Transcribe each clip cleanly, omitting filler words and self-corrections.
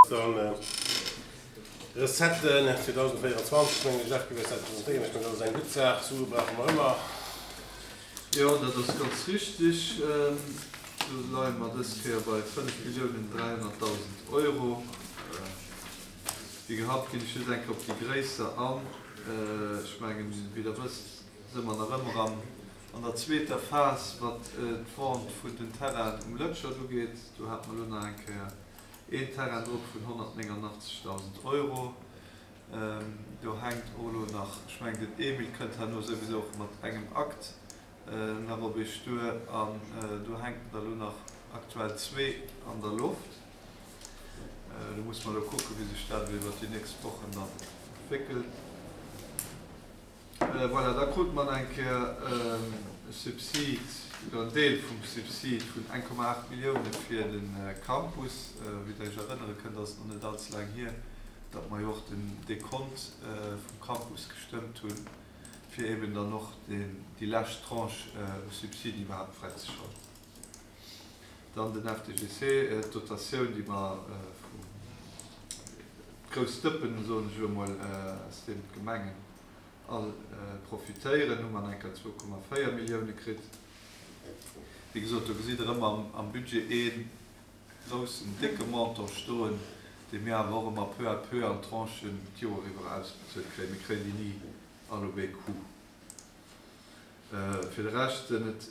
Dann Recetten 2024, mengen ech, Jacques, du wäers dat presentéieren. Ech mengen, dat ass eng gutt Saach. Sue brauche mer ëmmer. Jo, dat ass ganz richtig. Do leie mer dës Kéier bei 5.300.000 Euro. Wéi gehabt ginn ech just eng Kéier op déi gréisser an. Ech mengen, wéi Der wësst, si mer nach ëmmer an der zweeter Phas, wat d'Vente vun den Terrainen um Lëtschert ugeet. Do hate mer elo nach eng Kéier een Terrain drop vun 189.000 Euro. Do hänkt och elo nach, ech mengen den Emile kënnt herno souwisou och mat engem Akt nach op Iech duer, an do hänken der elo nach aktuell zwee an der Loft. Do musse mer elo kucken, wéi sech dat elo iwwert déi nächst Wochen dann entwéckelt. Voilà, da krute mer nach eng Kéier e Subsid, oder en Deel vum Subsid vun 1,8 Millioune fir de Campus. Wéi Der Iech erënnere kënnt, ass et nach net allze laang hier, datt mer jo och den Dekont vum Campus gestëmmt hunn, fir eeben dann och déi lescht Tranche u Subsiden iwwerhaapt fräizeschalten. Dann den FDGC, d'Dotatioun, déi mer vum, d'grouss Dëppen, soen ech elo emol, aus deem d'Gemengen all profitéieren, hu mer nach eng Kéier 2,4 Millioune kritt. Wéi gesot, do gesitt Der ëmmer am Budget ee groussen, décke Montant stoen, dee mir awer och ëmmer peu à peu an Tranchen d'Joer iwwer ausbezuelt kréien. Mir kréien déi ni all op ee Coup. Fir de Rescht sinn et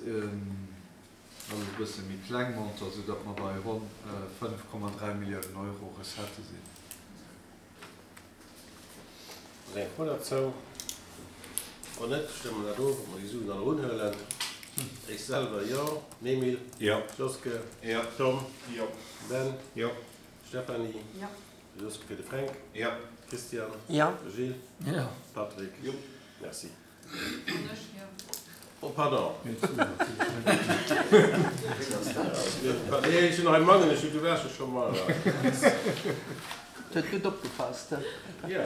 alles e bësse méi kleng Montanten, soudatt mer bei ronn 5,3 Milliounen Euro Recettë sinn. Ass eng Fro derzou? Wann net, stëmme mer dat of, ob mer déi Suen all erunhuelen. Ech selwer, jo. Emile? Jo. Joske? Jo. Tom? Jo. Ben? Jo. Stéphanie? Jo. Joske fir de Fränk? Jo. Christian? Jo. Gilles? Jo. Patrick? Jo. Merci. An ech, jo. Oh pardon. Nee, ech hunn nach e Mangen, ech hu gewäsche scho mol. Huet gutt opgepasst. Jo.